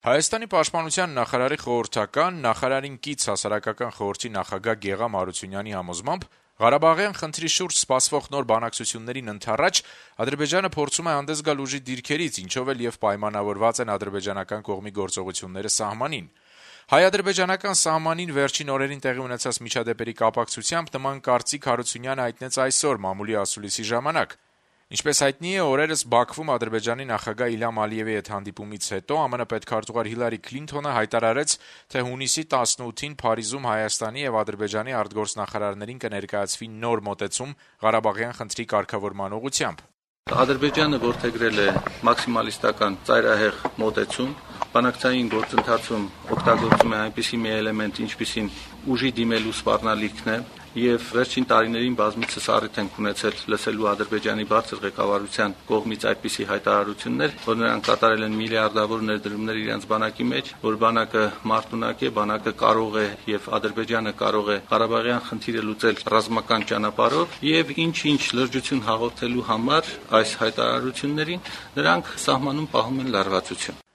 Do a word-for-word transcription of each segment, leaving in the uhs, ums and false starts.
Հայաստանի պաշտպանության նախարարի խորհրդական, նախարարին կից հասարակական խորհրդի նախագահ Գեղամ Հարությունյանի համոզմամբ Ղարաբաղյան խնդրի շուրջ սպասվող նոր բանակցություններին ընդառաջ Ադրբեջանը փորձում է հանդես գալ ուժի դիրքերից, ինչով էլ եւ պայմանավորված են ադրբեջանական կողմի գործողությունները սահմանին։ Հայ-ադրբեջանական սահմանին վերջին օրերին տեղի ունեցած միջադեպերի կապակցությամբ նման կարծիք Հարությունյանը հայտնեց այսօր մամուլի ասուլիսի ժամանակ։ Ինչպես հայտնի է, օրերս Բաքվում Ադրբեջանի նախագահ Իլհամ Ալիևի հետ հանդիպումից հետո ԱՄՆ պետքարտուղար Հիլարի Քլինթոնը հայտարարեց, թե հունիսի տասնութին Փարիզում Հայաստանի եւ Ադրբեջանի արտգործնախարարներին կներկայացվի նոր մոտեցում Ղարաբաղյան խնդրի կարգավորման ուղղությամբ։ Ադրբեջանը որդեգրել է մաքսիմալիստական ծայրահեղ մոտեցում, բանակցային գործընթացում օգտագործում է այնպիսի մի էլեմենտ, ինչպիսին ուժի դիմելու սպառնալիքն է, եւ վերջին տարիներին բազմիցս առիթ ենք ունեցել լսելու Ադրբեջանի բարձր ղեկավարության կողմից այդպիսի հայտարարություններ, որ նրանք կատարել են միլիարդավոր ներդրումներ իրենց բանակի մեջ, որ բանակը մարտունակ է, բանակը կարող է եւ Ադրբեջանը կարող է Ղարաբաղյան խնդիրը լուծել ռազմական ճանապարհով եւ ինչ-ինչ լրջություն հաղորդելու համար այս հայտարարություններին նրանք սահմանում պահում են լարվածություն։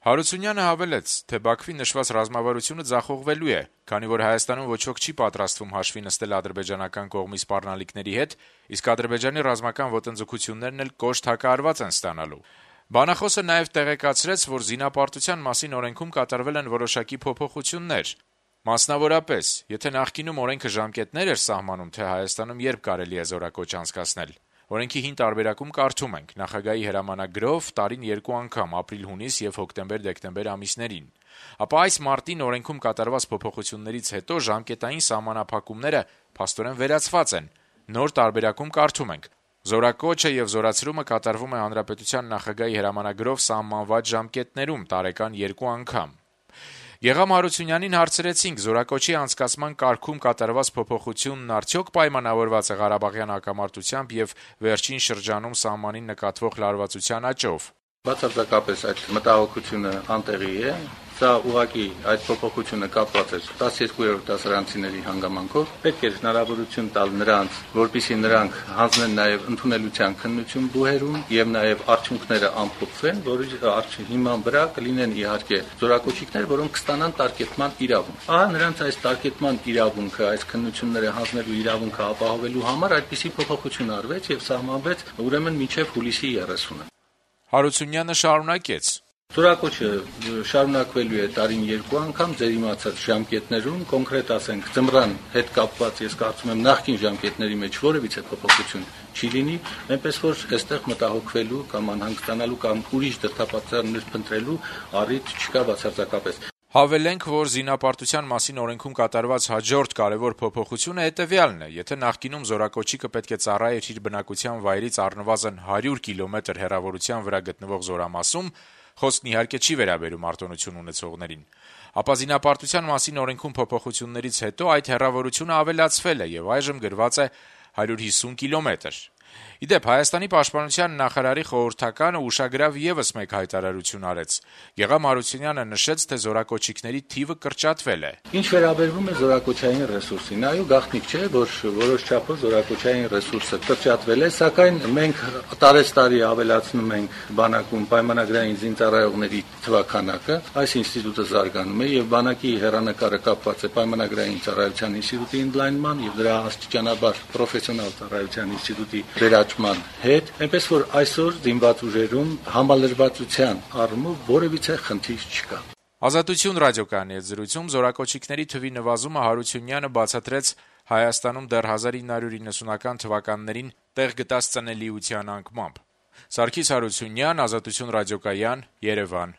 Հարությունյանը հավելեց, թե Բաքվի նշված ռազմավարությունը ձախողվելու է, քանի որ Հայաստանում ոչ ոք չի պատրաստվում հաշվի նստել ադրբեջանական կողմի սպառնալիքների հետ, իսկ Ադրբեջանի ռազմական ոտնձգություններն էլ կոշտ հակահարված են ստանալու։ Բանախոսը նաև տեղեկացրեց, որ զինապարտության մասին օրենքում կատարվել են որոշակի փոփոխություններ։ Մասնավորապես, եթե նախկինում օրենքը ժամկետներ էր սահմանում, թե Հայաստանում երբ կարելի է զորակոչ անցկացնել, օրենքի հին տարբերակում կարդում ենք նախագահի հրամանագրով տարին երկու անգամ ապրիլ-հունիս եւ հոկտեմբեր-դեկտեմբեր ամիսներին, ապա այս մարտին օրենքում կատարված փոփոխություններից հետո ժամկետային սահմանափակումները փաստորեն վերացված են։ Նոր տարբերակում կարդում ենք. զորակոչը եւ զորացրումը կատարվում է հանրապետության նախագահի հրամանագրով սահմանված ժամկետներում տարեկան երկու անգամ։ Գեղամ Հարությունյանին հարցրեցինք, զորակոչի անցկացման կարգում կատարված փոփոխությունն արդյոք պայմանավորված է Ղարաբաղյան հակամարտությամբ եւ վերջին շրջանում սահմանին նկատվող լարվածության աճով։ Բացարձակապես այդ մտահոգությունը անտեղի է։ Սա ուղղակի այդ փոփոխությունը կապված է տասներկուերորդ դասարանցիների հանգամանքով։ Պետք է հնարավորություն տալ նրանց, որպեսզի նրանք հանձնեն նաև ընդունելության քննություն բուհերում եւ նաև արդյունքները ամփոփվեն, որի հիման վրա կլինեն իհարկե զորակոչիկներ, որոնք կստանան տարկետման իրավունք։ Ահա նրանց այս տարկետման իրավունքը, այս քննությունները հանձնելու իրավունքը ապահովելու համար այդպիսի փոփոխություն արվեց եւ սահմանվեց ուրեմն մինչեւ հուլիսի երեսունը։ Հարությունյանը շարունակեց. Զորակոչը շարունակվելու է տարին երկու անգամ ձեր իմացած ժամկետներում, կոնկրետ ասենք ձմռան հետ կապված, ես կարծում եմ նախկին ժամկետների մեջ որևիցե փոփոխություն չի լինի, այնպես որ այստեղ մտահոգվելու կամ անհանգստանալու կամ ուրիշ դրդապատճառներ փնտրելու առիթ չկա բացարձակապես։ Հավելենք, որ զինապարտության մասին օրենքում կատարված հաջորդ կարևոր փոփոխությունը հետեւյալն է. եթե նախկինում զորակոչիկը պետք է ծառայեր իր բնակության վայրից առնվազն հարյուր կիլոմետր հեռավորության վրա գտնվող զորամասում, խոսքն իհարկե չի վերաբերում արտոնություն ունեցողներին, ապա զինապարտության մասին օրենքում փոփոխություններից հետո այդ հեռավորությունը ավելացվել է եւ այժմ գրված է հարյուր հիսուն կիլոմետր։ Իդեպ Հայաստանի պաշտպանության նախարարի խորհրդականը ուշագրավ եւս մեկ հայտարարություն արեց։ Գեղամ Հարությունյանը նշեց, թե զորակոչիկների թիվը կրճատվել է։ Ինչ վերաբերվում է զորակոչային ռեսուրսին, այո, գաղտնիք չէ, որ որոշ չափով զորակոչային ռեսուրսը կրճատվել է, սակայն մենք տարեստարի ավելացնում ենք բանակում պայմանագրային զինծառայողների թվաքանակը, այս ինստիտուտը զարգանում է եւ բանակի հեռանկարը կապված է պայմանագրային ծառայության ինստիտուտի ընդլայնման եւ դրա աստիճանաբար պրոֆեսիոնալ ծառայության ինստիտուտի վերաճման հետ, այնպես որ այսօր զինված ուժերում համալրվածության առումով որևիցե խնդիր չկա։ Ազատություն ռադիոկայանի հետ զրույցում զորակոչիկների թվի նվազումը Հարությունյանը բացատրեց Հայաստանում դեռ հազար ինը հարյուր իննսունական թվականներին տեղ գտած ծնելիության անկմամբ։ Սարգիս Հարությունյան, Ազատություն ռադիոկայան, Երևան։